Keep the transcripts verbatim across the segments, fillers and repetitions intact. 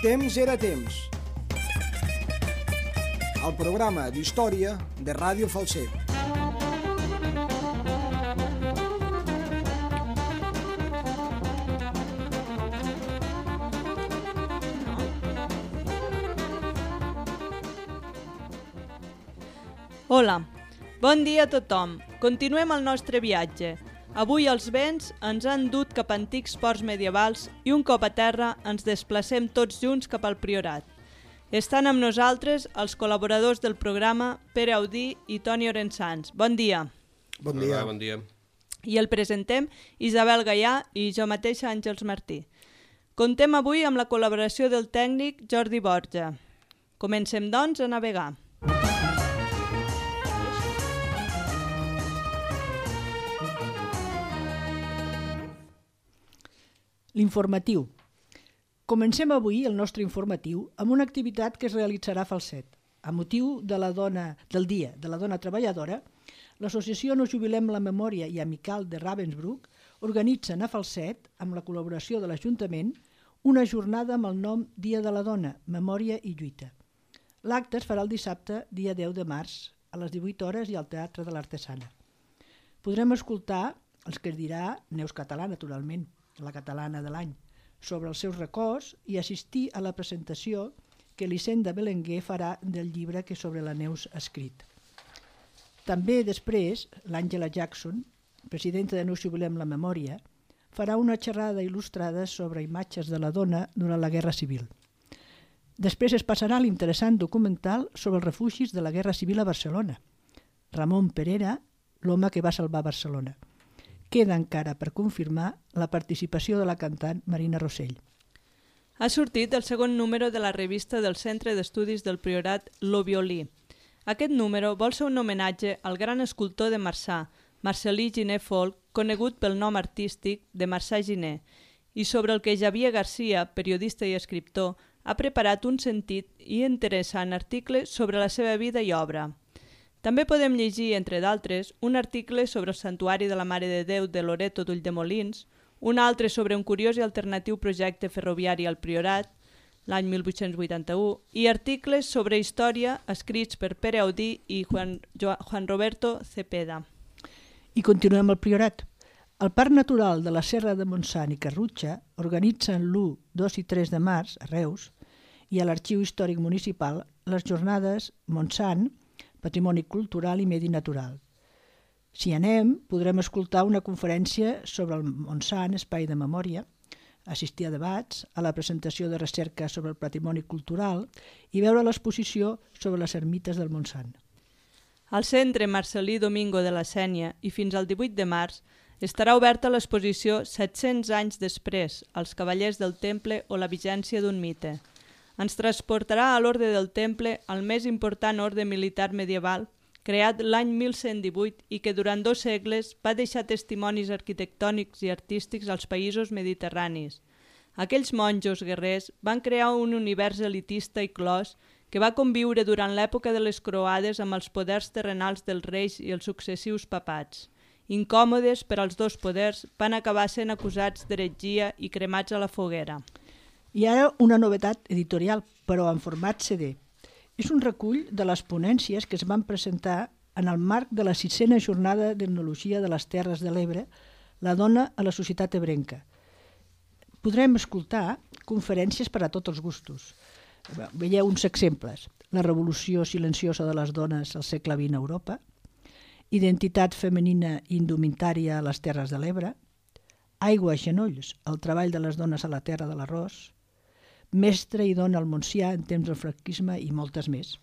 Temps era temps. El programa d'història de Ràdio Falset. Hola, bon dia a tothom. Continuem el nostre viatge. Avui els vents ens han dut cap a antics ports medievals i un cop a terra ens desplacem tots junts cap al Priorat. Estan amb nosaltres els col·laboradors del programa Pere Audí i Toni Orensans. Bon dia. Bon dia. Hola, bon dia. I el presentem Isabel Gaià i jo mateixa Àngels Martí. Contem avui amb la col·laboració del tècnic Jordi Borja. Comencem, doncs, a navegar. L'informatiu. Comencem avui el nostre informatiu amb una activitat que es realitzarà a Falset. A motiu de la dona, del Dia de la Dona Treballadora, l'associació No Jubilem la Memòria i Amical de Ravensbrück organitzen a Falset, amb la col·laboració de l'Ajuntament, una jornada amb el nom Dia de la Dona, Memòria i Lluita. L'acte es farà el dissabte, dia deu de març, a les divuit hores i al Teatre de l'Artesana. Podrem escoltar els que es dirà Neus Català, naturalment, la catalana de l'any, sobre els seus records i assistir a la presentació que l'Hisenda Belenguer farà del llibre que sobre la Neus ha escrit. També després, l'Àngela Jackson, presidenta de No Jubilem la Memòria, farà una xerrada il·lustrada sobre imatges de la dona durant la Guerra Civil. Després es passarà l'interessant documental sobre els refugis de la Guerra Civil a Barcelona. Ramon Perera, l'home que va salvar Barcelona. Queda encara per confirmar la participació de la cantant Marina Rossell. Ha sortit el segon número de la revista del Centre d'Estudis del Priorat Lo Violí. Aquest número vol ser un homenatge al gran escultor de Marçà, Marcel·lí Giner Folch, conegut pel nom artístic de Marçà Giner, i sobre el que Xavier Garcia, periodista i escriptor, ha preparat un sentit i interessant article sobre la seva vida i obra. També podem llegir, entre d'altres, un article sobre el Santuari de la Mare de Déu de Loreto d'Ulldemolins, un altre sobre un curiós i alternatiu projecte ferroviari al Priorat, l'any mil vuit-cents vuitanta-u, i articles sobre història escrits per Pere Audí i Juan, Juan Roberto Cepeda. I continuem al Priorat. El Parc Natural de la Serra de Montsant i Carrutxa organitzen l'u, dos i tres de març a Reus i a l'Arxiu Històric Municipal les jornades Montsant, Patrimoni Cultural i Medi Natural. Si anem, podrem escoltar una conferència sobre el Montsant, Espai de Memòria, assistir a debats, a la presentació de recerca sobre el patrimoni cultural i veure l'exposició sobre les ermites del Montsant. Al Centre Marcel·lí Domingo de la Sénia i fins al divuit de març estarà oberta l'exposició set-cents anys després, els Cavallers del Temple o la vigència d'un mite. Ens transportarà a l'Orde del Temple, el més important orde militar medieval, creat l'any mil cent divuit i que durant dos segles va deixar testimonis arquitectònics i artístics als països mediterranis. Aquells monjos guerrers van crear un univers elitista i clos que va conviure durant l'època de les croades amb els poders terrenals dels reis i els successius papats. Incòmodes per als dos poders, van acabar sent acusats d'heretgia i cremats a la foguera. I ara una novetat editorial, però en format C D. És un recull de les ponències que es van presentar en el marc de la sisena jornada d'Etnologia de les Terres de l'Ebre, la dona a la societat ebrenca. Podrem escoltar conferències per a tots els gustos. Veieu uns exemples. La revolució silenciosa de les dones al segle vint a Europa, identitat femenina i indumentària a les Terres de l'Ebre, aigua a genolls, el treball de les dones a la terra de l'arròs, mestre i dona al Montsià en temps del franquisme i moltes més.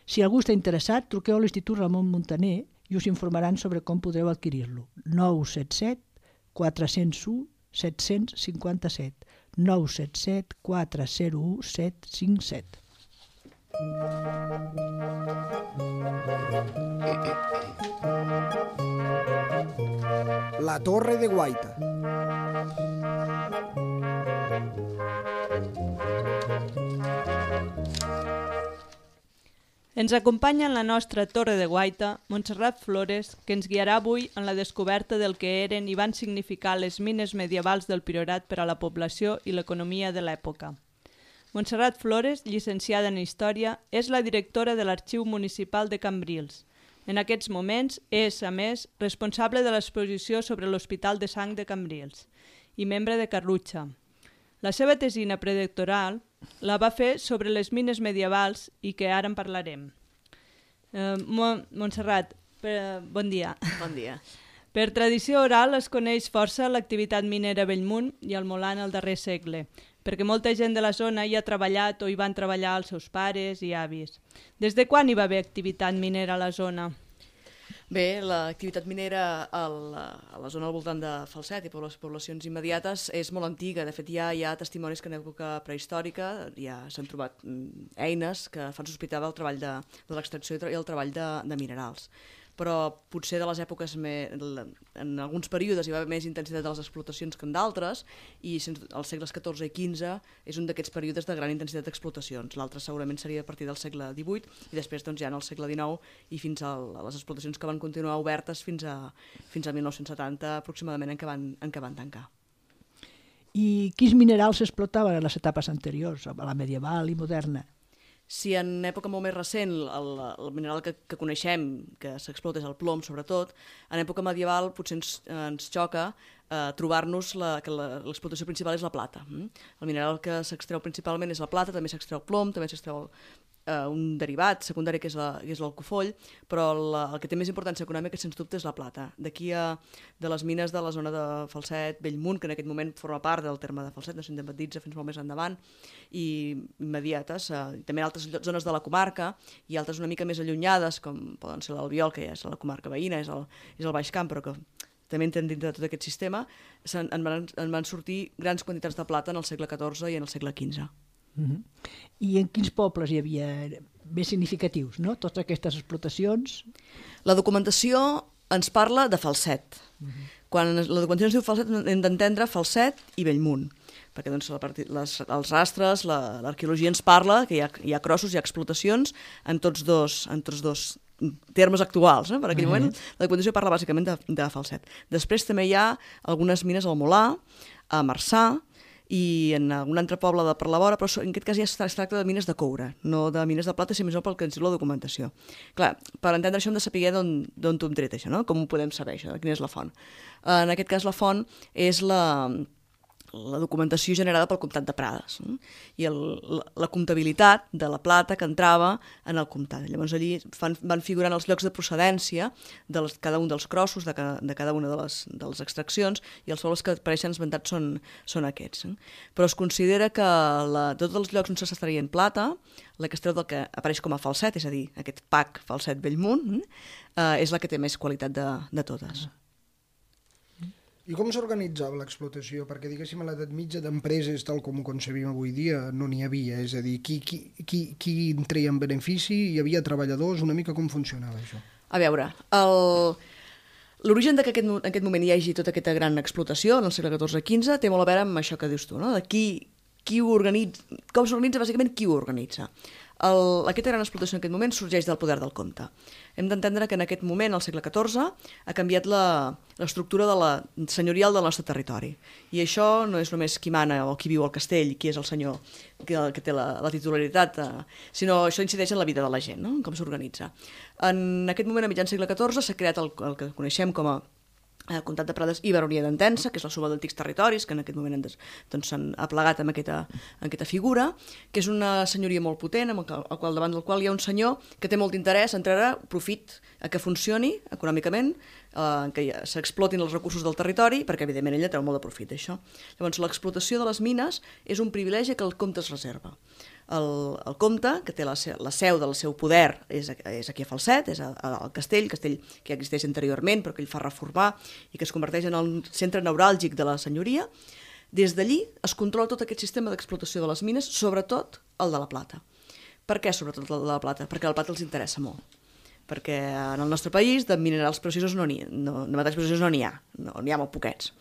Si algú està interessat, truqueu a l'Institut Ramon Muntaner i us informaran sobre com podreu adquirir-lo. nou set set quatre zero u set cinc set nou set set quatre zero u set cinc set. La Torre de Guaita. Ens acompanya en la nostra Torre de Guaita Montserrat Flores, que ens guiarà avui en la descoberta del que eren i van significar les mines medievals del Priorat per a la població i l'economia de l'època. Montserrat Flores, llicenciada en Història, és la directora de l'Arxiu Municipal de Cambrils. En aquests moments és, a més, responsable de l'exposició sobre l'Hospital de Sang de Cambrils i membre de Carlutxa. La seva tesina predoctoral la va fer sobre les mines medievals i que ara en parlarem. Eh, Montserrat, per, bon dia. Bon dia. Per tradició oral es coneix força l'activitat minera a Bellmunt i al Molar en el darrer segle, perquè molta gent de la zona hi ha treballat o hi van treballar els seus pares i avis. Des de quan hi va haver activitat minera a la zona? Bé, l'activitat minera a la, a la zona al voltant de Falset i per les poblacions immediates és molt antiga. De fet, ja hi ha testimonis que en època prehistòrica ja s'han trobat eines que fan sospitar el treball de, de l'extracció i el treball de, de minerals. Però potser de les èpoques, me, en alguns períodes hi va haver més intensitat de les explotacions que en d'altres, i als segles catorze i quinze és un d'aquests períodes de gran intensitat d'explotacions. L'altre segurament seria a partir del segle divuit i després doncs, ja en el segle dinou i fins a les explotacions que van continuar obertes fins a, fins a mil nou-cents setanta aproximadament en què van, en què van tancar. I quins minerals s'explotaven en les etapes anteriors, a la medieval i moderna? Si en època molt més recent el, el mineral que, que coneixem, que s'explota és el plom sobretot, en època medieval potser ens, ens xoca eh, trobar-nos la, que l'explotació principal és la plata. Mm? El mineral que s'extreu principalment és la plata, també s'extreu plom, també s'extreu eh, un derivat secundari que és l'alcofoll, però la, el que té més importància econòmica sens dubte és la plata. D'aquí a de les mines de la zona de Falset, Bellmunt, que en aquest moment forma part del terme de Falset, no s'independitza fins molt més endavant, i immediates, eh, també en altres zones de la comarca i altres una mica més allunyades, com poden ser l'Albiol, que ja és la comarca veïna, és el, és el Baix Camp, però que també entren dintre de tot aquest sistema, en, en, van, en van sortir grans quantitats de plata en el segle catorze i en el segle quinze. Uh-huh. I en quins pobles hi havia més significatius, no? Totes aquestes explotacions? La documentació ens parla de Falset. Uh-huh. Quan la documentació ens diu Falset hem d'entendre Falset i Bellmunt, perquè doncs, la part, les, els rastres, l'arqueologia ens parla que hi ha, hi ha crossos, hi ha explotacions en tots dos, en tots dos termes actuals. Eh? Per aquell uh-huh. moment la documentació parla bàsicament de, de Falset. Després també hi ha algunes mines al Molar, a Marçà, i en algun altre poble de per la vora, però en aquest cas ja es tracta de mines de coure, no de mines de plata, sinó més pel que ens diu la documentació. Clar, per entendre això hem de saber d'on t'ho hem tret això, no? Com ho podem saber això, quina és la font. En aquest cas la font és la... la documentació generada pel Comtat de Prades, eh? I el, la, la comptabilitat de la plata que entrava en el comtat. Llavors allí fan, van figurant els llocs de procedència de les, cada un dels crossos, de, ca, de cada una de les, de les extraccions, i els pobles que apareixen esmentats són, són aquests. Eh? Però es considera que la, tots els llocs on s'extraient plata, la que es treu del que apareix com a Falset, és a dir, aquest pack Falset Bellmunt, eh, és la que té més qualitat de, de totes. I com s'organitzava l'explotació? Perquè, diguéssim, a l'edat mitja d'empreses, tal com ho concebim avui dia, no n'hi havia. És a dir, qui, qui, qui, qui en treia en benefici? Hi havia treballadors? Una mica com funcionava això? A veure, l'origen que aquest, en aquest moment hi hagi tota aquesta gran explotació, en el segle catorze quinze, té molt a veure amb això que dius tu, no? De qui, qui ho organitza, com s'organitza, bàsicament, qui ho organitza. El, aquesta gran explotació en aquest moment sorgeix del poder del comte. Hem d'entendre que en aquest moment, al segle catorze, ha canviat l'estructura de la senyorial del nostre territori. I això no és només qui mana o qui viu al castell, qui és el senyor que, que té la, la titularitat, eh, sinó això incideix en la vida de la gent, no? Com s'organitza. En aquest moment, a mitjan segle catorze, s'ha creat el, el que coneixem com a el Comtat de Prades i Baronia d'Entença, que és la suma d'antics territoris, que en aquest moment doncs, s'han aplegat amb aquesta, amb aquesta figura, que és una senyoria molt potent, amb el, el qual, davant del qual hi ha un senyor que té molt interès en treure profit a que funcioni econòmicament, eh, que s'explotin els recursos del territori, perquè evidentment ella treu molt de profit d'això. Llavors, l'explotació de les mines és un privilegi que el comte es reserva. El, el comte, que té la, la seu del seu poder, és, és aquí a Falset, és al castell, castell que ja existeix anteriorment, però que ell fa reformar i que es converteix en el centre neuràlgic de la senyoria. Des d'allí es controla tot aquest sistema d'explotació de les mines, sobretot el de la plata. Per què sobretot el de la plata? Perquè la plata els interessa molt. Perquè en el nostre país de minerals preciosos no n'hi ha, no, de metalls preciosos no n'hi ha, no, n'hi ha molt poquets.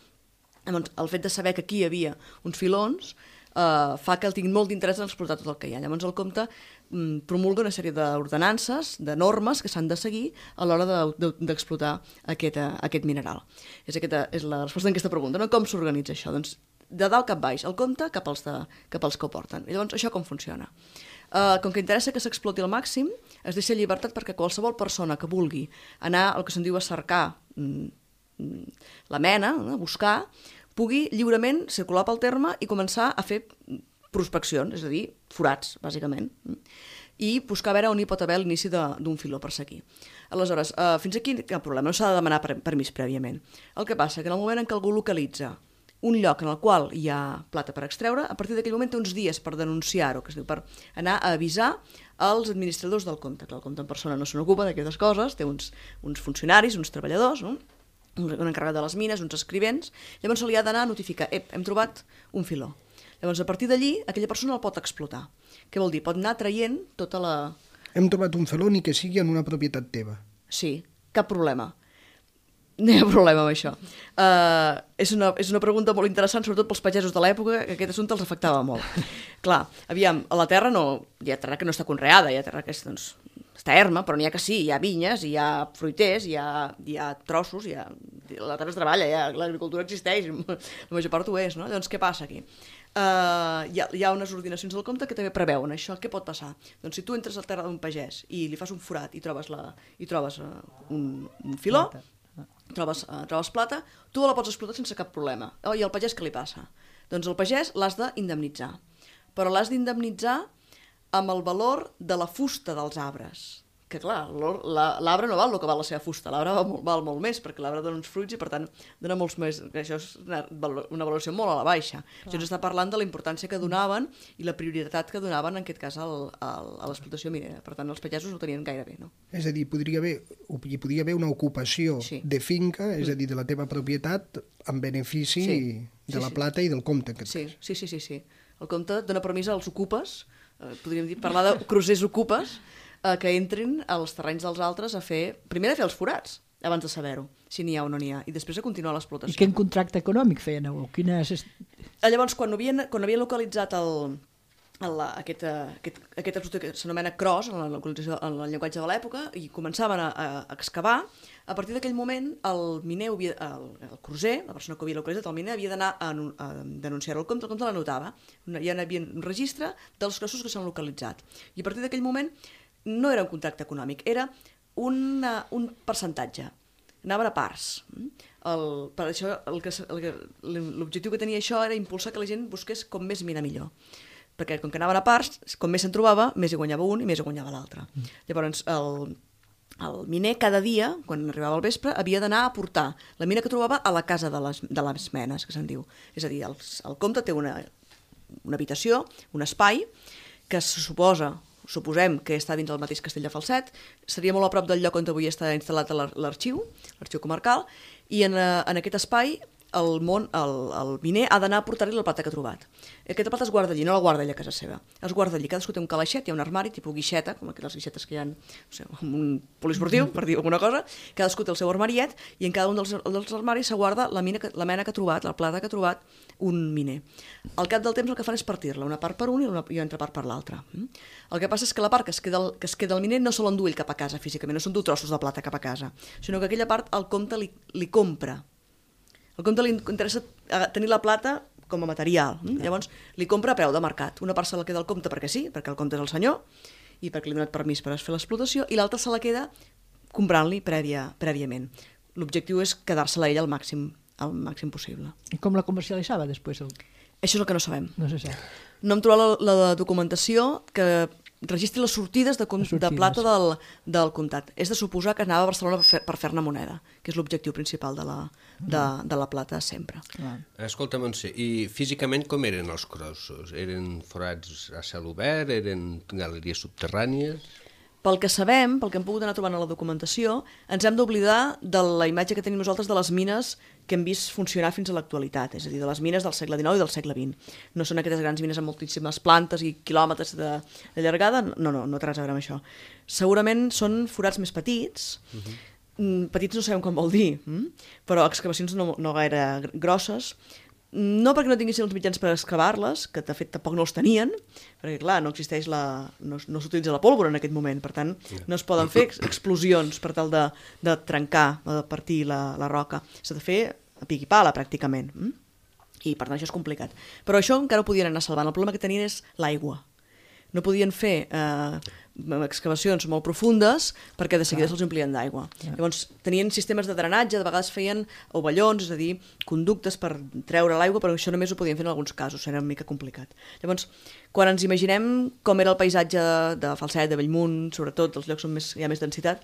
Llavors, el fet de saber que aquí hi havia uns filons Uh, fa que el tinguin molt d'interès en explotar tot el que hi ha. Llavors el comte um, promulga una sèrie d'ordenances, de normes que s'han de seguir a l'hora d'explotar de, de, aquest, uh, aquest mineral. És, aquesta, és la resposta a aquesta pregunta, no? Com s'organitza això? Doncs de dalt cap baix, el compte cap als, de, cap als que ho porten. I llavors, això com funciona? Uh, com que interessa que s'exploti al màxim, es deixa llibertat perquè qualsevol persona que vulgui anar al que se'n diu a cercar mm, la mena, a buscar, pugui lliurement circular pel terme i començar a fer prospeccions, és a dir, forats, bàsicament, i buscar a veure on hi pot haver l'inici d'un filó per seguir. Aleshores, uh, fins aquí cap problema, no s'ha de demanar permís prèviament. El que passa que en el moment en què algú localitza un lloc en el qual hi ha plata per extreure, a partir d'aquell moment té uns dies per denunciar-ho, que es diu, per anar a avisar als administradors del compte, que el compte en persona no se n'ocupa d'aquestes coses, té uns, uns funcionaris, uns treballadors, no? Un encarregat de les mines, uns escrivents, llavors se li ha d'anar a notificar, ep, hem trobat un filó. Llavors, a partir d'allí, aquella persona el pot explotar. Què vol dir? Pot anar traient tota la... Hem trobat un filó ni que sigui en una propietat teva. Sí, cap problema. No hi ha problema amb això. Uh, és, una, és una pregunta molt interessant, sobretot pels pagesos de l'època, que aquest assumpte els afectava molt. Clar, aviam, a la terra no, hi ha terra que no està conreada, hi ha terra que és, doncs, està erma, però n'hi ha que sí, hi ha vinyes, hi ha fruiters, hi ha, hi ha trossos, hi ha, la terra es treballa, ha, l'agricultura existeix, la major part ho és, no? Llavors, què passa aquí? Uh, hi, ha, hi ha unes ordinacions del compte que també preveuen això. Què pot passar? Doncs si tu entres a la terra d'un pagès i li fas un forat i trobes, la, i trobes uh, un, un filó, trobes, uh, trobes plata, tu la pots explotar sense cap problema. Oh, i al pagès què li passa? Doncs el pagès l'has d'indemnitzar, però l'has d'indemnitzar amb el valor de la fusta dels arbres. Que clar, l'arbre no val el que val la seva fusta, l'arbre val, val molt més, perquè l'arbre dona uns fruits i per tant dona molts més... Això és una, una valoració molt a la baixa. Clar. Això ens està parlant de la importància que donaven i la prioritat que donaven en aquest cas al, al, a l'explotació minera. Per tant, els pagesos ho tenien gaire bé, no? És a dir, podria haver, hi podria haver una ocupació sí. de finca, és a dir, de la teva propietat, en benefici sí. de sí, la plata sí. i del compte. Que sí, sí, sí, sí, sí. El compte dona permís als ocupes, eh, podríem dir, parlar de crosers ocupes, eh, que entrin als terrenys dels altres a fer... Primer a fer els forats, abans de saber-ho, si n'hi ha o no n'hi ha, i després a continuar l'explotació. I quin contracte econòmic feien? O quines... Llavors, quan havien, quan havien localitzat el, el, aquest, aquest, aquest explotador que s'anomena cross, en la localització, en el llenguatge de l'època, i començaven a, a excavar, a partir d'aquell moment el miner, havia, el, el cruser, la persona que havia localitzat el miner, havia d'anar a, a denunciar-ho al compte, el compte l'anotava. Ja hi havia un registre dels crossos que s'han localitzat. I a partir d'aquell moment no era un contracte econòmic, era una, un percentatge. Anaven a parts. El, per això l'objectiu que tenia això era impulsar que la gent busqués com més mina millor. Perquè com que anaven a parts, com més se'n trobava, més hi guanyava un i més hi guanyava l'altre. Mm. Llavors, el, el miner cada dia, quan arribava al vespre, havia d'anar a portar la mina que trobava a la casa de les, de les menes, que se'n diu. És a dir, el, el compte té una, una habitació, un espai, que se suposa... suposem que està dins el mateix castell de Falset, seria molt a prop del lloc on avui està instal·lat l'arxiu, l'arxiu comarcal, i en, en aquest espai el, món, el, el miner ha d'anar a portar-li la plata que ha trobat. Aquesta plata es guarda allí, no la guarda allà a casa seva. Es guarda allí, cadascú té un calaixet, hi ha un armari, tipus guixeta, com aquelles guixetes que hi ha no sé, un poliesportiu, per dir alguna cosa, cadascú té el seu armariet, i en cada un dels, dels armaris se guarda la, mina que, la mena que ha trobat, la plata que ha trobat un miner. Al cap del temps el que fan és partir-la, una part per un i una, i una altra part per l'altra. El que passa és que la part que es queda el, que es queda el miner no se l'endú ell cap a casa físicament, no s'endú trossos de plata cap a casa, sinó que aquella part el compte li, li compra. El compte li interessa tenir la plata com a material. Mm? Llavors li compra a preu de mercat. Una part se la queda al compte perquè sí, perquè el compte és el senyor, i perquè li ha donat permís per fer l'explotació, i l'altra se la queda comprant-li prèvia, prèviament. L'objectiu és quedar-se-la ella al màxim, al màxim possible. I com la comercialitzava després? El... Això és el que no sabem. No se sap. No hem trobat la, la documentació que registri les sortides de, les sortides. de plata del, del comtat. És de suposar que anava a Barcelona per, fer, per fer-ne moneda, que és l'objectiu principal de la, de, de la plata sempre. Ah. Escolta, Montse, i físicament com eren els crossos? Eren forats a cel obert? Eren galeries subterrànies? Pel que sabem, pel que hem pogut anar trobant a la documentació, ens hem d'oblidar de la imatge que tenim nosaltres de les mines que hem vist funcionar fins a l'actualitat, és a dir, de les mines del segle dinou i del segle vint. No són aquestes grans mines amb moltíssimes plantes i quilòmetres de, de llargada, no, no, no té res a veure amb això. Segurament són forats més petits, uh-huh. petits no sabem com vol dir, però excavacions no, no gaire grosses, no perquè no tinguessin els mitjans per excavar-les, que de fet tampoc no els tenien, perquè clar, no existeix la... no, no s'utilitza la pólvora en aquest moment, per tant no es poden fer explosions per tal de, de trencar, de partir la, la roca. S'ha de fer a pic i pala, pràcticament. I per tant això és complicat. Però això encara ho podien anar salvant. El problema que tenien és l'aigua. No podien fer eh, excavacions molt profundes perquè de seguida se'ls omplien d'aigua. Llavors tenien sistemes de drenatge, de vegades feien ovellons, és a dir, conductes per treure l'aigua, però això només ho podien fer en alguns casos, era una mica complicat. Llavors, quan ens imaginem com era el paisatge de Falset, de Bellmunt, sobretot els llocs on més, hi ha més densitat,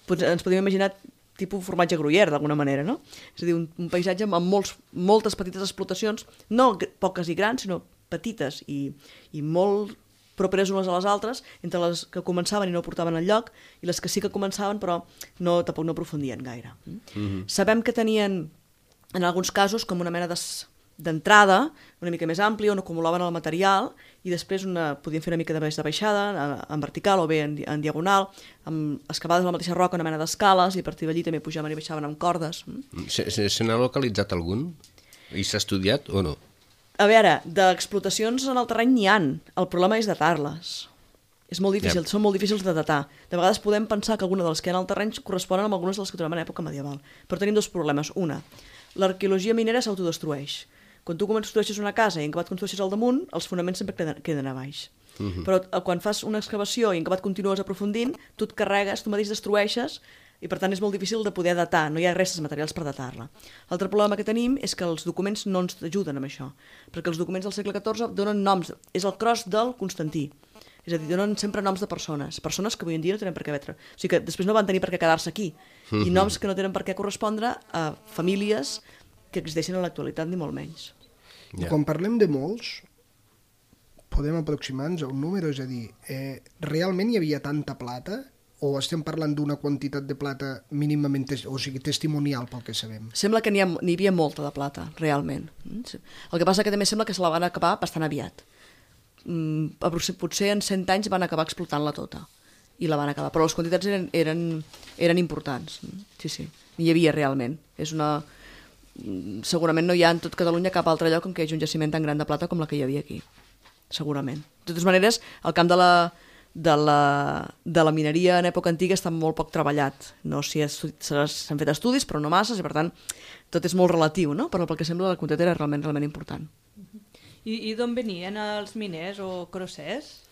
doncs ens podíem imaginar tipus formatge gruyère, d'alguna manera, no? És a dir, un, un paisatge amb molts, moltes petites explotacions, no poques i grans, sinó petites i, i molt properes unes a les altres, entre les que començaven i no portaven enlloc, i les que sí que començaven però no, tampoc no aprofundien gaire. Mm-hmm. Sabem que tenien, en alguns casos, com una mena d'entrada una mica més àmplia, on acumulaven el material, i després una, podien fer una mica de baix de baixada, en vertical o bé en, en diagonal, amb excavades a la mateixa roca, una mena d'escales, i a partir d'allí també pujaven i baixaven amb cordes. Se, se, se n'ha localitzat algun? I s'ha estudiat o no? A veure, d'explotacions en el terreny n'hi han. El problema és datar-les. És molt difícil, yep. Són molt difícils de datar. De vegades podem pensar que alguna de les que hi ha en el terreny corresponen amb algunes de les que trobem en època medieval. Però tenim dos problemes. Una, l'arqueologia minera s'autodestrueix. Quan tu construeixes una casa i en acabat construeixes al damunt, els fonaments sempre queden, queden a baix. Uh-huh. Però quan fas una excavació i en acabat continues aprofundint, tu et carregues, tu mateix destrueixes, i per tant és molt difícil de poder datar, no hi ha restes materials per datar-la. L'altre problema que tenim és que els documents no ens ajuden amb això, perquè els documents del segle catorze donen noms, és el cros del Constantí, és a dir, donen sempre noms de persones, persones que avui en dia no tenen per què vetre, o sigui que després no van tenir per què quedar-se aquí, i noms que no tenen per què correspondre a famílies que existeixen en l'actualitat, ni molt menys. I quan parlem de molts, podem aproximar-nos a un número, és a dir, eh, realment hi havia tanta plata o estem parlant d'una quantitat de plata mínimament, o sigui, testimonial pel que sabem? Sembla que n'hi ha, n'hi havia molta de plata, realment. El que passa que també sembla que se la van acabar bastant aviat. Mm, potser en cent anys van acabar explotant-la tota i la van acabar, però les quantitats eren, eren, eren importants. Sí, sí, n'hi havia realment. És una... Segurament no hi ha en tot Catalunya cap altre lloc en què hi hagi un jaciment tan gran de plata com la que hi havia aquí. Segurament. De totes maneres, el camp de la... De la, de la mineria en època antiga està molt poc treballat. No s'hi s'han fet estudis, però no masses, i per tant tot és molt relatiu, no? Però pel que sembla la quantitat era realment, realment important. I, i d'on venien els miners o crossers?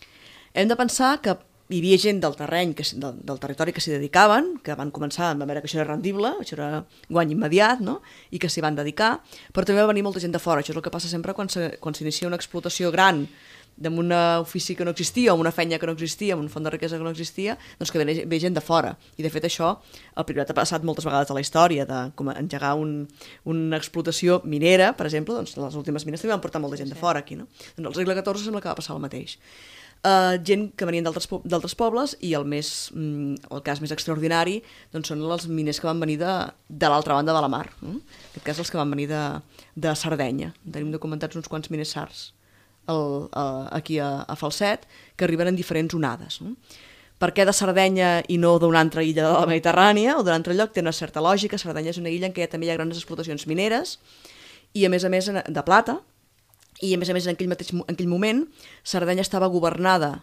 Hem de pensar que hi havia gent del terreny, que, del, del territori que s'hi dedicaven, que van començar a veure que això era rendible, això era guany immediat, no? I que s'hi van dedicar, però també va venir molta gent de fora. Això és el que passa sempre quan s'inicia una explotació gran d'un ofici que no existia, o una feina que no existia, un font de riquesa que no existia, doncs que ve, ve gent de fora. I de fet això, el Priorat ha passat moltes vegades a la història, de com engegar un, una explotació minera, per exemple, doncs les últimes mines també van portar molta gent de fora aquí, no? Doncs al segle catorze sembla que va passar el mateix. Uh, gent que venien d'altres pobles, i el, més, mm, el cas més extraordinari doncs són els miners que van venir de, de l'altra banda de la mar, no? En aquest cas els que van venir de, de Sardenya. Tenim documentats uns quants miners sards El, uh, aquí a, a Falset, que arriben en diferents onades. No? Per què de Sardenya i no d'una altra illa de la Mediterrània o d'un altre lloc? Té una certa lògica. Sardenya és una illa en què també hi ha grans explotacions mineres i a més a més de plata, i a més a més en aquell, mateix, en aquell moment Sardenya estava governada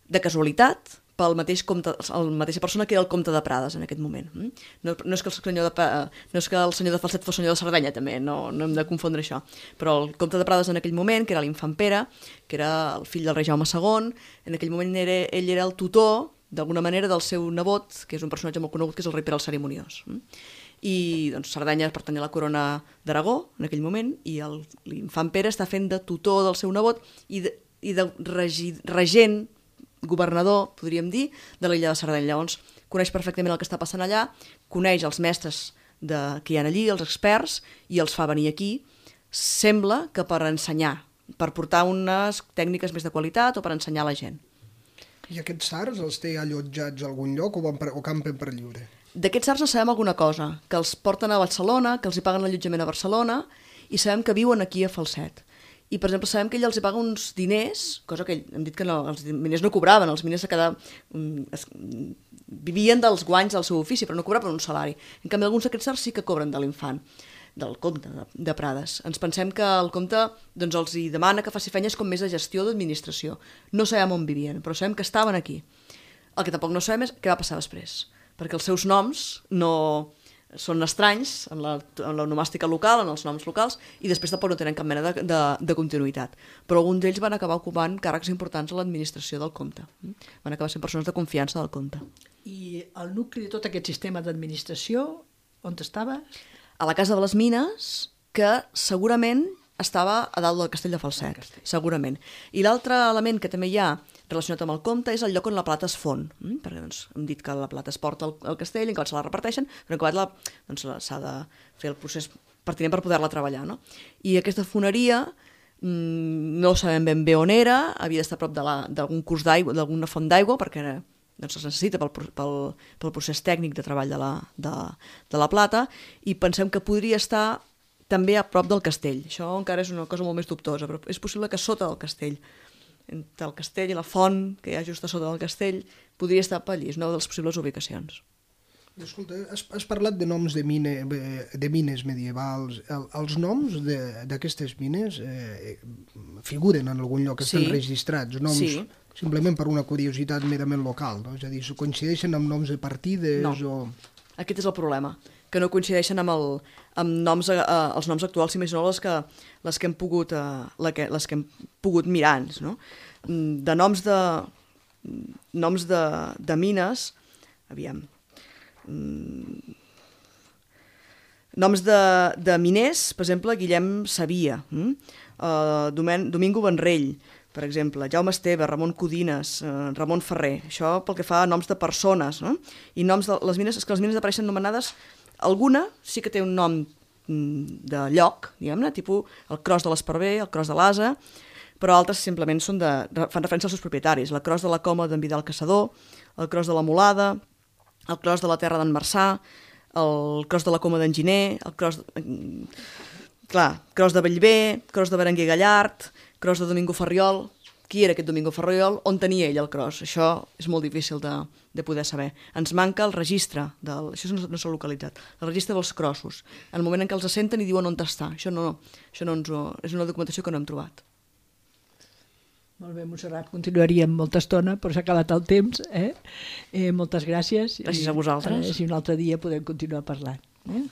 de casualitat pel mateix comte, la mateixa persona que era el comte de Prades en aquest moment. No, no, és que el senyor de, no és que el senyor de Falset fos senyor de Sardenya, també, no, no hem de confondre això. Però el comte de Prades en aquell moment, que era l'infant Pere, que era el fill del rei Jaume segon, en aquell moment era, ell era el tutor, d'alguna manera, del seu nebot, que és un personatge molt conegut, que és el rei Pere el Cerimoniós. I doncs, Sardenya pertanyia a la corona d'Aragó en aquell moment, i l'infant Pere està fent de tutor del seu nebot i de, i de regi, regent, governador, podríem dir, de l'illa de Sardenya. Llavors, coneix perfectament el que està passant allà, coneix els mestres de, que hi ha allí, els experts, i els fa venir aquí. Sembla que per ensenyar, per portar unes tècniques més de qualitat o per ensenyar a la gent. I aquests sards els té allotjats a algun lloc o, van per, o campen per lliure? D'aquests sards sabem alguna cosa, que els porten a Barcelona, que els hi paguen l'allotjament a Barcelona, i sabem que viuen aquí a Falset. I, per exemple, sabem que ell els hi paga uns diners, cosa que hem dit que no, els miners no cobraven, els miners a cada, es, vivien dels guanys del seu ofici, però no cobraven un salari. En canvi, alguns d'aquests sards sí que cobren de l'infant, del comte de, de Prades. Ens pensem que el comte doncs, els hi demana que faci feines com més de gestió d'administració. No sabem on vivien, però sabem que estaven aquí. El que tampoc no sabem és què va passar després, perquè els seus noms no... són estranys en la, en l'onomàstica local, en els noms locals, i després tampoc no tenen cap mena de, de, de continuïtat. Però alguns d'ells van acabar ocupant càrrecs importants a l'administració del comte. Van acabar sent persones de confiança del comte. I el nucli de tot aquest sistema d'administració, on estava? A la Casa de les Mines, que segurament estava a dalt del castell de Falset, segurament. I l'altre element que també hi ha relacionat amb el comte és el lloc on la plata es fon, mm? perquè doncs, hem dit que la plata es porta al, al castell, en quan se la reparteixen, però en quan la, doncs, s'ha de fer el procés pertinent per poder-la treballar. No? I aquesta foneria mmm, no sabem ben bé on era, havia d'estar a prop d'algun curs d'aigua, d'alguna font d'aigua, perquè era, doncs, es necessita pel, pel, pel procés tècnic de treball de la, de, de la plata, i pensem que podria estar també a prop del castell. Això encara és una cosa molt més dubtosa, però és possible que sota del castell, entre el castell i la font, que hi ha just a sota del castell, podria estar per allí, és una de les possibles ubicacions. Escolta, has, has parlat de noms de, mine, de mines medievals. El, els noms d'aquestes mines eh, figuren en algun lloc, estan sí. registrats, noms sí. simplement per una curiositat merament local, no? És a dir, coincideixen amb noms de partides no. o... Aquest és el problema, que no coincideixen amb, el, amb noms, eh, els noms actuals, si més no les que, les que hem pogut, eh, que, les que hem pogut mirar, no? De noms de, noms de, de mines, aviam, noms de, de miners, per exemple, Guillem Sabia, hm? uh, Domen, Domingo Benrell, per exemple, Jaume Esteve, Ramon Codines, eh, Ramon Ferrer, això pel que fa a noms de persones, no? I noms de les mines, és que les mines apareixen nomenades, alguna sí que té un nom de lloc, diguem-ne, tipus el Cros de l'Esparver, el Cros de l'Asa, però altres simplement són de, fan referència als seus propietaris, la Cros de la Coma d'en Vidal Caçador, el Cros de la Molada, el Cros de la Terra d'en Marçà, el Cros de la Coma d'en Giner, el Cros de... Clar, Cros de Bellver, Cros de Berenguer Gallard, Cros de Domingo Ferriol. Qui era aquest Domingo Ferriol? On tenia ell el cros? Això és molt difícil de, de poder saber. Ens manca el registre, del, això no, no s'ha localitzat, el registre dels crossos. En el moment en què els assenten i diuen on està. Això, no, això no ens ho, és una documentació que no hem trobat. Molt bé, Montserrat, continuaríem molta estona, però s'ha acabat el temps. Eh? Eh, moltes gràcies. Gràcies a vosaltres. Eh, si un altre dia podem continuar parlant. Eh?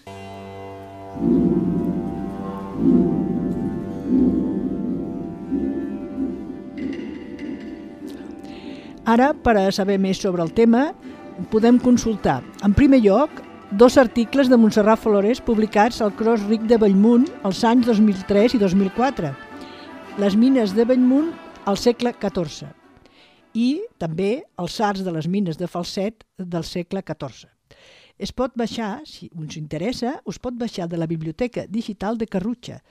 Ara, per a saber més sobre el tema, podem consultar, en primer lloc, dos articles de Montserrat Flores publicats al Cros Ric de Bellmunt els anys dos mil tres i dos mil quatre, les mines de Bellmunt al segle catorze i també els arts de les mines de Falset del segle catorze. Es pot baixar, si us interessa, us pot baixar de la Biblioteca Digital de Carrutxa,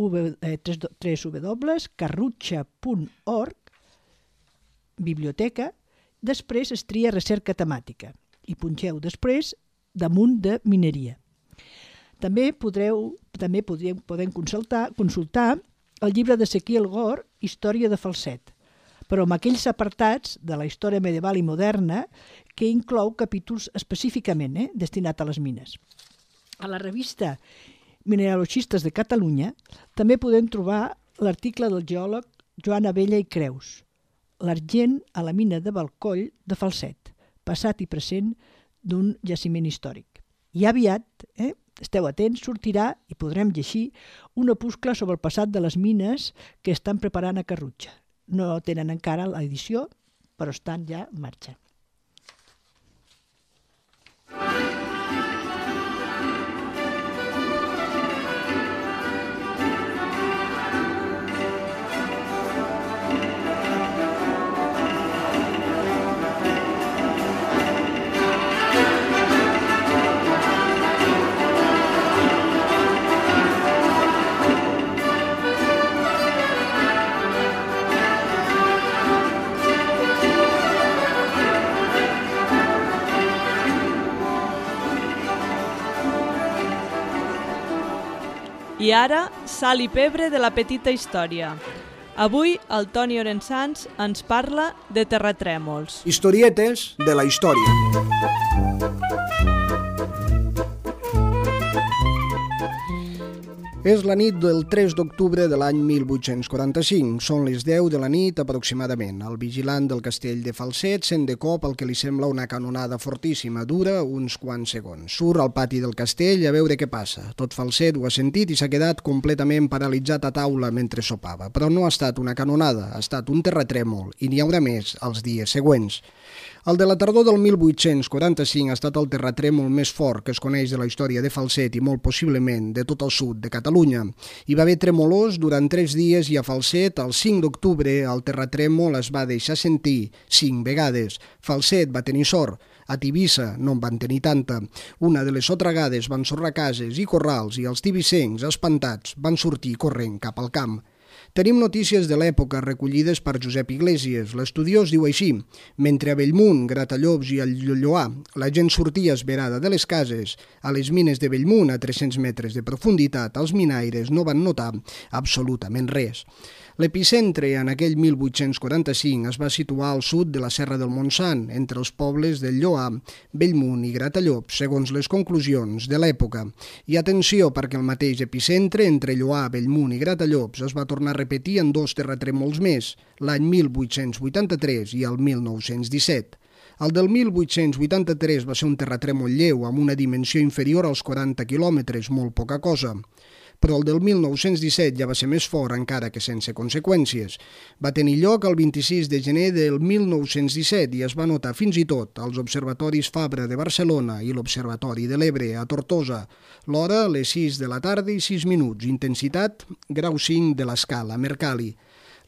w w w punt carrutxa punt org, biblioteca, després es tria recerca temàtica i punxeu després damunt de mineria. També podreu, també podreu, podem consultar, consultar el llibre d'Ezequiel Gor, Història de Falset, però amb aquells apartats de la història medieval i moderna que inclou capítols específicament eh, destinats a les mines. A la revista Mineralogistes de Catalunya també podem trobar l'article del geòleg Joan Abella i Creus, l'argent a la mina de Balcoll de Falset, passat i present d'un jaciment històric. I aviat, eh, esteu atents, sortirà i podrem llegir un opuscle sobre el passat de les mines que estan preparant a Carrutxa. No tenen encara l'edició, però estan ja en marxa. I ara, sal i pebre de la petita història. Avui el Toni Orensans ens parla de terratrèmols. Historietes de la història. És la nit del tres d'octubre de l'any mil vuit-cents quaranta-cinc. Són les deu de la nit aproximadament. El vigilant del castell de Falset sent de cop el que li sembla una canonada fortíssima. Dura uns quants segons. Surt al pati del castell a veure què passa. Tot Falset ho ha sentit i s'ha quedat completament paralitzat a taula mentre sopava. Però no ha estat una canonada, ha estat un terratrèmol i n'hi haurà més els dies següents. El de la tardor del mil vuit-cents quaranta-cinc ha estat el terratrèmol més fort que es coneix de la història de Falset i molt possiblement de tot el sud de Catalunya. Hi va haver tremolors durant tres dies i a Falset, el cinc d'octubre, el terratrèmol es va deixar sentir cinc vegades. Falset va tenir sort. A Tivissa no en van tenir tanta. Una de les sotragades van sorrar cases i corrals i els tivissencs, espantats, van sortir corrent cap al camp. Tenim notícies de l'època recollides per Josep Iglesias. L'estudiós diu així: mentre a Bellmunt, Gratallops i al Lloar la gent sortia esverada de les cases, a les mines de Bellmunt, a tres-cents metres de profunditat, els minaires no van notar absolutament res. L'epicentre en aquell mil vuit-cents quaranta-cinc es va situar al sud de la Serra del Montsant, entre els pobles del Lloar, Bellmunt i Gratallops, segons les conclusions de l'època. I atenció, perquè el mateix epicentre entre Lloar, Bellmunt i Gratallops es va tornar a repetir en dos terratrèmols més, l'any mil vuit-cents vuitanta-tres i el mil nou-cents disset. El del mil vuit-cents vuitanta-tres va ser un terratrèmol lleu amb una dimensió inferior als quaranta quilòmetres, molt poca cosa. Però el del mil nou-cents disset ja va ser més fort, encara que sense conseqüències. Va tenir lloc el vint-i-sis de gener del mil nou-cents disset i es va notar fins i tot als observatoris Fabra de Barcelona i l'Observatori de l'Ebre a Tortosa. L'hora, les sis de la tarda i sis minuts. Intensitat, grau cinc de l'escala Mercalli.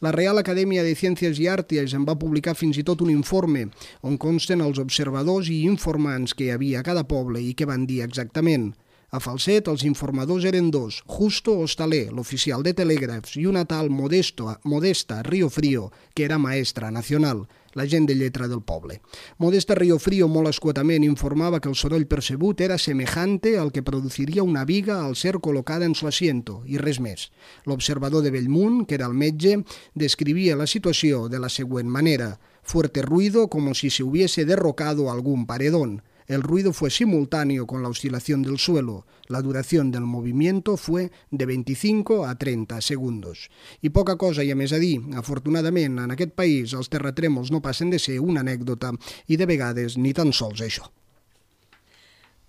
La Real Acadèmia de Ciències i Arts en va publicar fins i tot un informe on consten els observadors i informants que hi havia a cada poble i què van dir exactament. A Falset els informadors eren dos, Justo Hostaler, l'oficial de telègrafs, i una tal Modesto, Modesta Riofrío, que era maestra nacional, la gent de lletra del poble. Modesta Riofrío molt escuetament informava que el soroll percebut era semejante al que produciria una viga al ser col·locada en su asiento, i res més. L'observador de Bellmunt, que era el metge, descrivia la situació de la següent manera: fuerte ruido como si se hubiese derrocado algún paredón. El ruido fue simultáneo con la oscilación del suelo. La duración del movimiento fue de veinticinco a trenta segundos. I poca cosa hi ha més a dir. Afortunadament, en aquest país els terratrèmols no passen de ser una anècdota i de vegades ni tan sols això.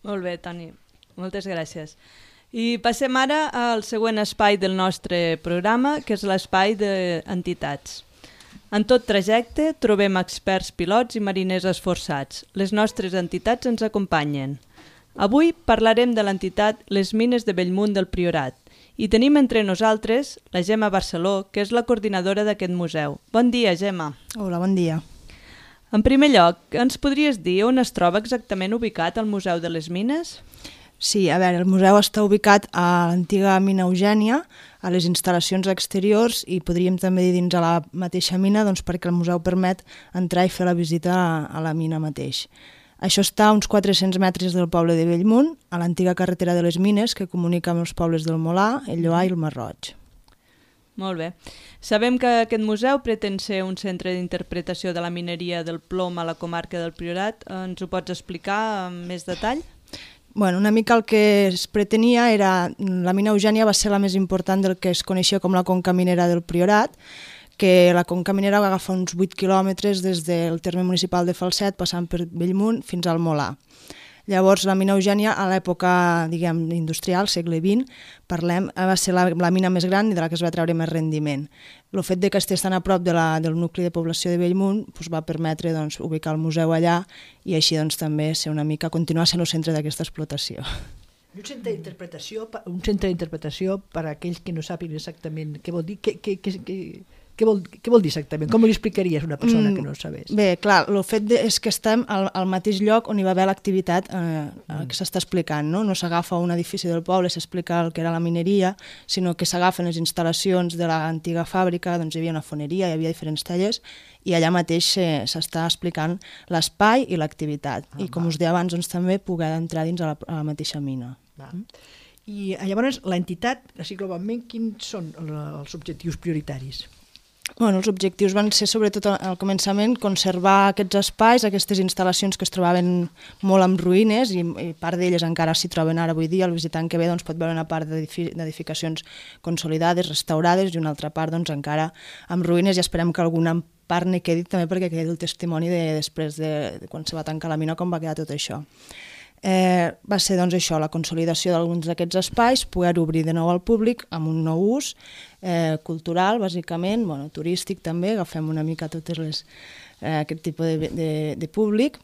Molt bé, Toni. Moltes gràcies. I passem ara al següent espai del nostre programa, que és l'espai d'entitats. En tot trajecte trobem experts pilots i mariners esforçats. Les nostres entitats ens acompanyen. Avui parlarem de l'entitat Les Mines de Bellmunt del Priorat i tenim entre nosaltres la Gemma Barceló, que és la coordinadora d'aquest museu. Bon dia, Gemma. Hola, bon dia. En primer lloc, ens podries dir on es troba exactament ubicat el Museu de les Mines? Sí, a veure, el museu està ubicat a l'antiga mina Eugènia, a les instal·lacions exteriors i podríem també dir dins a la mateixa mina, doncs perquè el museu permet entrar i fer la visita a, a la mina mateix. Això està a uns quatre-cents metres del poble de Bellmunt, a l'antiga carretera de les Mines que comunica amb els pobles del Molar, el Lloar i el Masroig. Molt bé. Sabem que aquest museu pretén ser un centre d'interpretació de la mineria del plom a la comarca del Priorat. Ens ho pots explicar amb més detall? Bueno, una mica el que es pretenia era... La mina Eugènia va ser la més important del que es coneixia com la conca minera del Priorat, que la conca minera va agafar uns vuit quilòmetres des del terme municipal de Falset, passant per Bellmunt fins al Molar. Llavors, la mina Eugènia, a l'època, diguem, industrial, segle vint, parlem, va ser la, la mina més gran i de la que es va treure més rendiment. El fet de que estés tan a prop de la, del nucli de població de Bellmunt doncs, va permetre doncs, ubicar el museu allà i així doncs, també ser una mica, continuar sent el centre d'aquesta explotació. Un centre d'interpretació un centre d'interpretació per a aquells que no sàpiguen exactament què vol dir, què, què, què, què, què, vol, què vol dir exactament? Com li explicaries a una persona mm, que no ho sabés? Bé, clar, el fet de, és que estem al, al mateix lloc on hi va haver l'activitat eh, mm. que s'està explicant, no? No s'agafa un edifici del poble, s'explica el que era la mineria, sinó que s'agafen les instal·lacions de l'antiga fàbrica, doncs hi havia una foneria, hi havia diferents tallers, i allà mateix s'està explicant l'espai i l'activitat. Ah, I com va. us deia abans, doncs, també poder entrar dins a la, a la mateixa mina. Va. I llavors l'entitat, així globalment, quins són els objectius prioritaris? Bueno, els objectius van ser, sobretot al començament, conservar aquests espais, aquestes instal·lacions que es trobaven molt en ruïnes i, i part d'elles encara s'hi troben ara avui dia. El visitant que ve doncs, pot veure una part d'edificacions consolidades, restaurades, i una altra part doncs, encara en ruïnes, i esperem que alguna part n'hi quedi també perquè quedi el testimoni de, després de, de quan se va tancar la mina, com va quedar tot això. Eh, va ser doncs, això, la consolidació d'alguns d'aquests espais, poder obrir de nou al públic amb un nou ús, eh, cultural, bàsicament, bueno, turístic també, agafem una mica totes les, eh, aquest tipus de, de, de públic,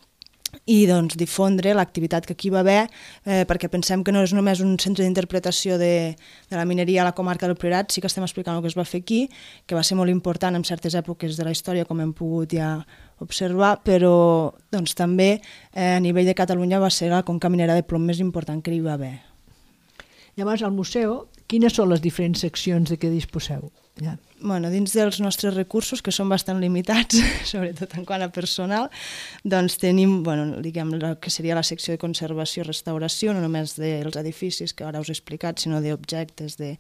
i doncs, difondre l'activitat que aquí va haver, eh, perquè pensem que no és només un centre d'interpretació de, de la mineria a la comarca del Priorat, sí que estem explicant el que es va fer aquí, que va ser molt important en certes èpoques de la història, com hem pogut ja observar, però doncs, també eh, a nivell de Catalunya va ser la conca minera de plom més important que hi va haver. Llavors, al museu, quines són les diferents seccions de què disposeu? Ja. Bueno, dins dels nostres recursos, que són bastant limitats, sobretot en quant a personal, doncs tenim, bueno, diguem, el que seria la secció de conservació i restauració, no només dels edificis, que ara us he explicat, sinó d'objectes de,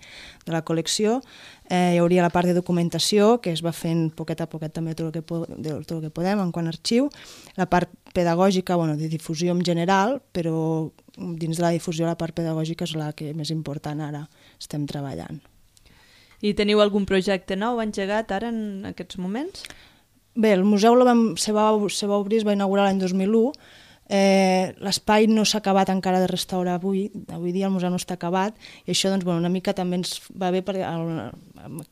de la col·lecció. Eh, hi hauria la part de documentació, que es va fent poquet a poquet també tot el que, po tot el que podem en quant a arxiu. La part pedagògica, bueno, de difusió en general, però dins de la difusió la part pedagògica és la que més important ara estem treballant. I teniu algun projecte nou engegat ara en aquests moments? Bé, el museu lo vam, se, va, se va obrir, es va inaugurar l'any dos mil u. Eh, L'espai no s'ha acabat encara de restaurar avui, avui dia el museu no està acabat, i això doncs, bueno, una mica també ens va bé perquè el,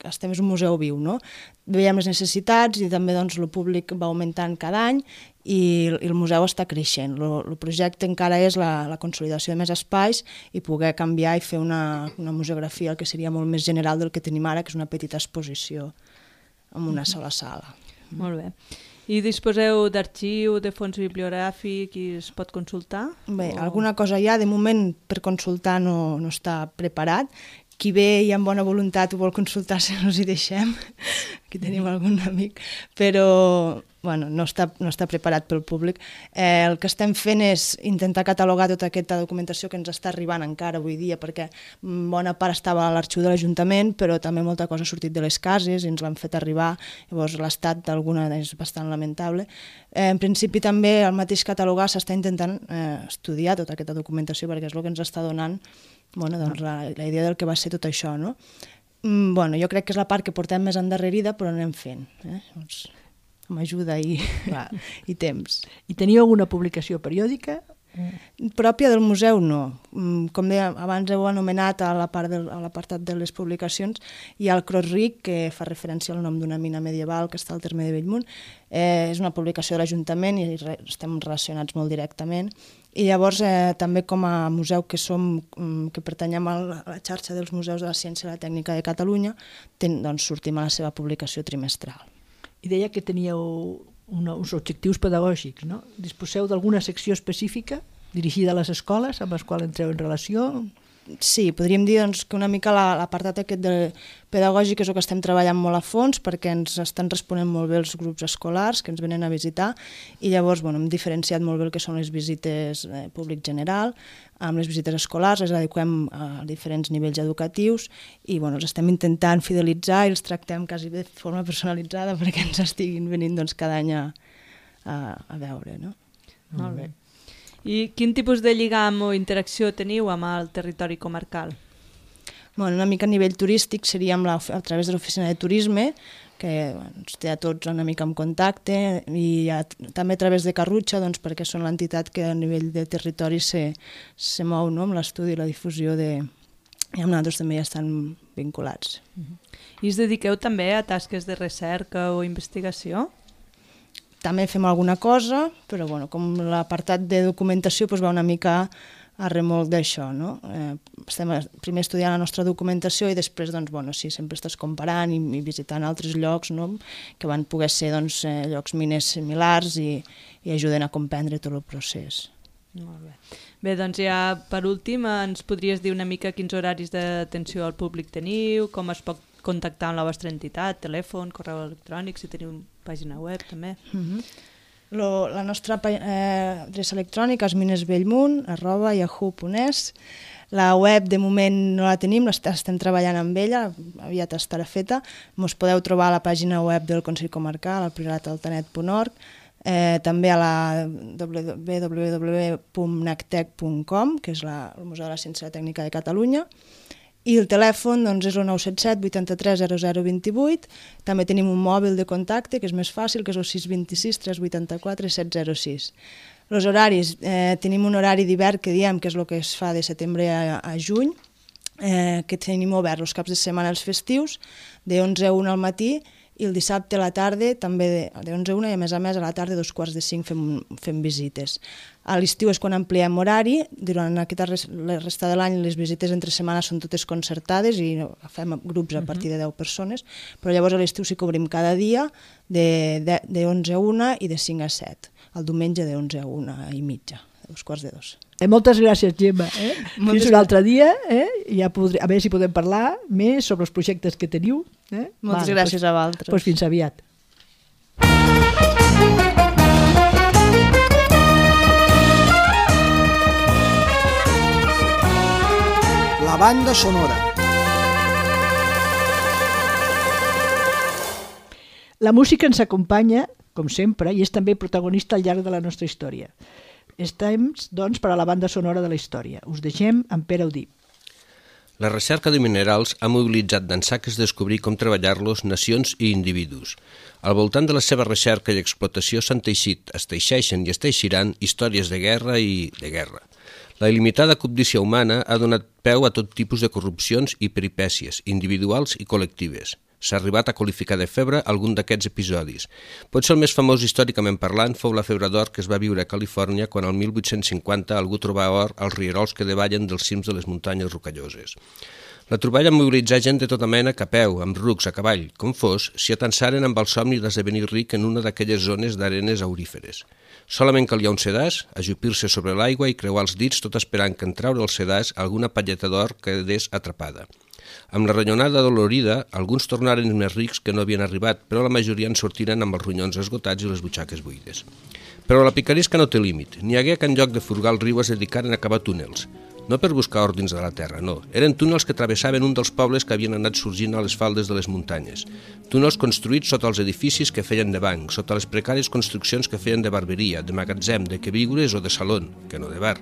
estem és un museu viu, no? Veiem les necessitats i també doncs, el públic va augmentant cada any i, i el museu està creixent. El projecte encara és la, la consolidació de més espais i poder canviar i fer una, una museografia, el que seria molt més general del que tenim ara, que és una petita exposició en una sola sala. Molt bé. I disposeu d'arxiu, de fons bibliogràfic i es pot consultar? Bé, o... alguna cosa hi ha, de moment per consultar no, no està preparat. Qui ve i amb bona voluntat ho vol consultar, si no us hi deixem. Aquí tenim algun amic, però bueno, no, està, no està preparat pel públic. Eh, el que estem fent és intentar catalogar tota aquesta documentació que ens està arribant encara avui dia, perquè bona part estava a l'arxiu de l'Ajuntament, però també molta cosa ha sortit de les cases i ens l'han fet arribar, llavors l'estat d'alguna és bastant lamentable. Eh, en principi també el mateix catalogar s'està intentant eh, estudiar tota aquesta documentació, perquè és el que ens està donant bueno, doncs la, la idea del que va ser tot això, no? Mm, bueno, jo crec que és la part que portem més endarrerida, però anem fent, eh? Doncs, amb ajuda i, i temps. I teniu alguna publicació periòdica? Pròpia del museu, no. Com deia, abans heu anomenat a l'apartat de les publicacions, hi ha el Cros Ric, que fa referència al nom d'una mina medieval que està al terme de Bellmunt. Eh, és una publicació de l'Ajuntament i re, estem relacionats molt directament. I llavors, eh, també com a museu que som, que pertanyem a la xarxa dels museus de la ciència i la tècnica de Catalunya, ten, doncs sortim a la seva publicació trimestral. I deia que teníeu una, uns objectius pedagògics, no? Disposeu d'alguna secció específica dirigida a les escoles amb les quals entreu en relació? Sí, podríem dir doncs, que una mica l'apartat aquest de pedagògic és el que estem treballant molt a fons perquè ens estan responent molt bé els grups escolars que ens venen a visitar i llavors bueno, hem diferenciat molt bé el que són les visites eh, públic general, amb les visites escolars les adequem a diferents nivells educatius i bueno, els estem intentant fidelitzar i els tractem quasi de forma personalitzada perquè ens estiguin venint doncs, cada any a, a, a veure. No? Molt bé. I quin tipus de lligam o interacció teniu amb el territori comarcal? Bueno, una mica a nivell turístic seria amb la, a través de l'oficina de turisme, que bueno, ens té a tots una mica en contacte, i a, també a través de Carrutxa, doncs, perquè són l'entitat que a nivell de territori se, se mou no? Amb l'estudi i la difusió de... i amb nosaltres també ja estan vinculats. Uh-huh. I us dediqueu també a tasques de recerca o investigació? També fem alguna cosa, però bueno, com l'apartat de documentació doncs va una mica a remolc d'això. No? Eh, estem primer estudiant la nostra documentació i després doncs, bueno, sí, sempre estàs comparant i, i visitant altres llocs no? Que van poder ser doncs, eh, llocs miners similars i, i ajuden a comprendre tot el procés. Molt bé. Bé, doncs ja per últim ens podries dir una mica quins horaris d'atenció al públic teniu, com es pot contactar amb la vostra entitat, telèfon, correu electrònic, si teniu pàgina web també. Uh-huh. Lo, la nostra eh, adreça electrònica és minesbellmunt arroba yahoo punt es. La web de moment no la tenim, estem treballant amb ella, aviat estarà feta. Ens podeu trobar a la pàgina web del Consell Comarcal, al priorat altanet punt org, eh, també a la w w w punt nactec punt com, que és la, el Museu de la Ciència i la Tècnica de Catalunya, i el telèfon doncs, és el nou set set vuitanta-tres zero zero vint-i-vuit. També tenim un mòbil de contacte, que és més fàcil, que és el sis dos sis tres vuit quatre set zero sis. Els horaris, eh, tenim un horari d'hivern que diem que és el que es fa de setembre a, a juny, eh, que tenim obert els caps de setmana els festius, de onze a una al matí, i el dissabte a la tarda també de, de onze a una, i a més a més a la tarda dos quarts de cinc fem, fem visites. A l'estiu és quan ampliem horari, durant aquesta res, la resta de l'any les visites entre setmanes són totes concertades i fem grups a partir de deu persones, però llavors a l'estiu sí que obrim cada dia de, de, de onze a una i de cinc a set, el diumenge de onze a una i mitja, dos quarts de dos. Eh, moltes gràcies, Gemma. Eh? Fins un altre dia, eh? Ja podré, a veure si podem parlar més sobre els projectes que teniu. Eh? Moltes vale, gràcies pues, a vosaltres. Pues fins aviat. La banda sonora. La música ens acompanya, com sempre, i és també protagonista al llarg de la nostra història. És temps, doncs, per a la banda sonora de la història. Us deixem amb Pere Audí. La recerca de minerals ha mobilitzat d'ençà que es descobrir com treballar-los nacions i individus. Al voltant de la seva recerca i explotació s'han teixit, es teixeixen i es teixiran històries de guerra i de guerra. La il·limitada cobdícia humana ha donat peu a tot tipus de corrupcions i peripècies, individuals i col·lectives. S'ha arribat a qualificar de febre algun d'aquests episodis. Potser el més famós històricament parlant fou la febre d'or que es va viure a Califòrnia quan el mil vuit-cents cinquanta algú trobava or als rierols que davallen dels cims de les muntanyes rocalloses. La troballa mobilitzà gent de tota mena que a peu, amb rucs, a cavall, com fos, s'hi atansaren amb el somni d'esdevenir ric en una d'aquelles zones d'arenes auríferes. Solament calia un sedàs, ajupir-se sobre l'aigua i creuar els dits tot esperant que en traure el sedàs alguna palleta d'or quedés atrapada. Amb la ronyonada dolorida, alguns tornaren més rics que no havien arribat, però la majoria en sortiren amb els ronyons esgotats i les butxaques buides. Però la picaresca no té límit. N'hi hagué que en lloc de furgar el riu es dedicaren a cavar túnels. No per buscar or dins de la terra, no. Eren túnels que travessaven un dels pobles que havien anat sorgint a les faldes de les muntanyes. Túnels construïts sota els edificis que feien de banc, sota les precàries construccions que feien de barberia, de magatzem, de queviures o de salón, que no de bar.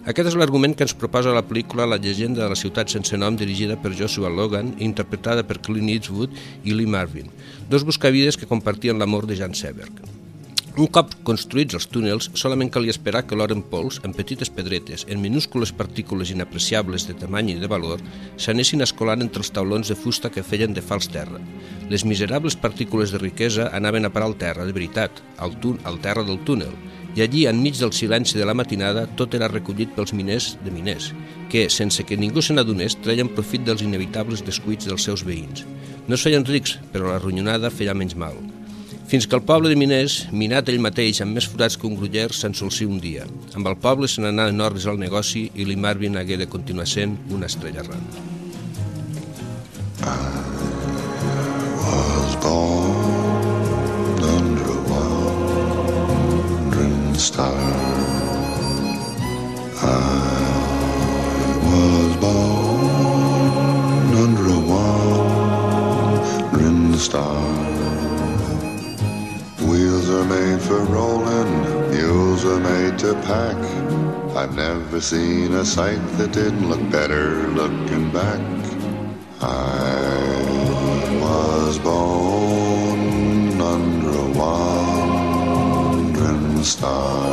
Aquest és l'argument que ens proposa la pel·lícula La llegenda de la ciutat sense nom, dirigida per Joshua Logan i interpretada per Clint Eastwood i Lee Marvin, dos buscavides que compartien l'amor de Jan Seberg. Un cop construïts els túnels, solament calia esperar que l'or en pols, en petites pedretes, en minúscules partícules inapreciables de tamany i de valor, s'anessin escolant entre els taulons de fusta que feien de fals terra. Les miserables partícules de riquesa anaven a parar al terra, de veritat, al, tún, al terra del túnel, i allí, enmig del silenci de la matinada, tot era recollit pels miners de miners, que, sense que ningú se n'adonés, treien profit dels inevitables descuits dels seus veïns. No es feien rics, però la ronyonada feia menys mal. Fins que el poble de miners, minat ell mateix amb més forats que un gruller, s'ensolcí un dia. Amb el poble se n'anà en ordres al negoci i Lee Marvin hagué de continuar sent una estrella errant. I was born under a wandering star. I was born under a wandering star. Wheels are made for rolling, mules are made to pack. I've never seen a sight that didn't look better looking back. I was born under a wandering star.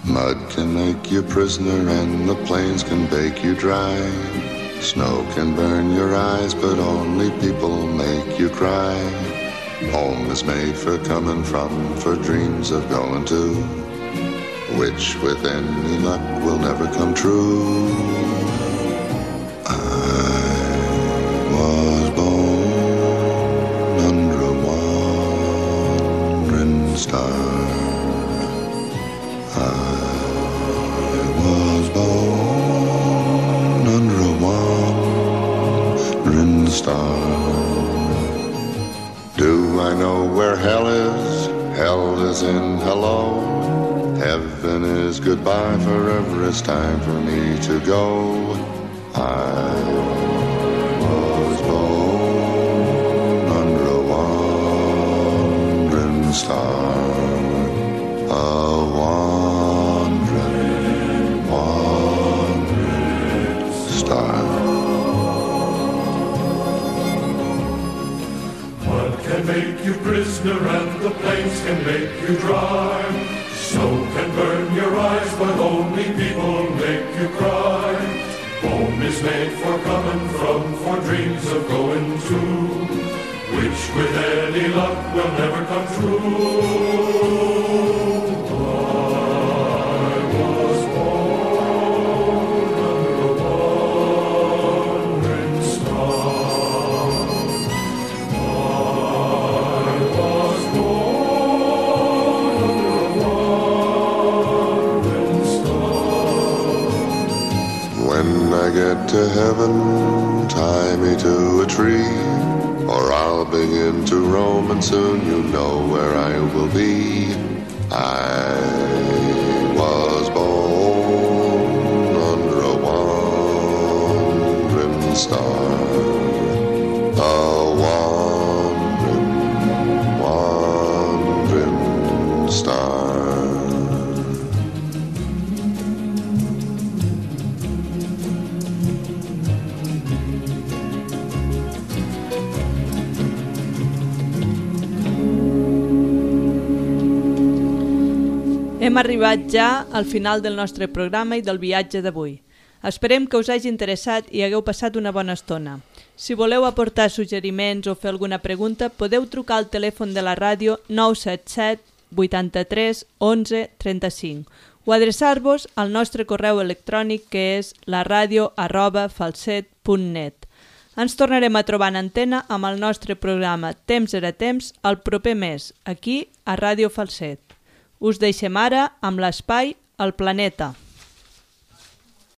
Mud can make you prisoner and the plains can bake you dry. Snow can burn your eyes, but only people make you cry. Home is made for coming from, for dreams of going to, which with any luck will never come true. I was born under a wandering star. I was born under a wandering star. Do I know where hell is? Hell is in hello. Heaven is goodbye, forever it's time for me to go. I was born under a wandering star, a wandering, wandering star. Mud can make you prisoner and the plains can make you dry. Snow can burn your eyes, but only people make you cry. Home is made for coming from, for dreams of going to, which with any luck will never come true. I was born under a wandering star. I was born under a wandering star. When I get to heaven, tie me to a tree, or I'll begin to roam, and soon you know where I will be. I was born under a wandering star, a wandering, wandering star. Hem arribat ja al final del nostre programa i del viatge d'avui. Esperem que us hagi interessat i hagueu passat una bona estona. Si voleu aportar suggeriments o fer alguna pregunta, podeu trucar al telèfon de la ràdio nou set set vuitanta-tres onze trenta-cinc o adreçar-vos al nostre correu electrònic que és laradio arroba falset punt net. Ens tornarem a trobar en antena amb el nostre programa Temps era temps el proper mes, aquí a Ràdio Falset. Us deixem ara amb l'espai El Planeta.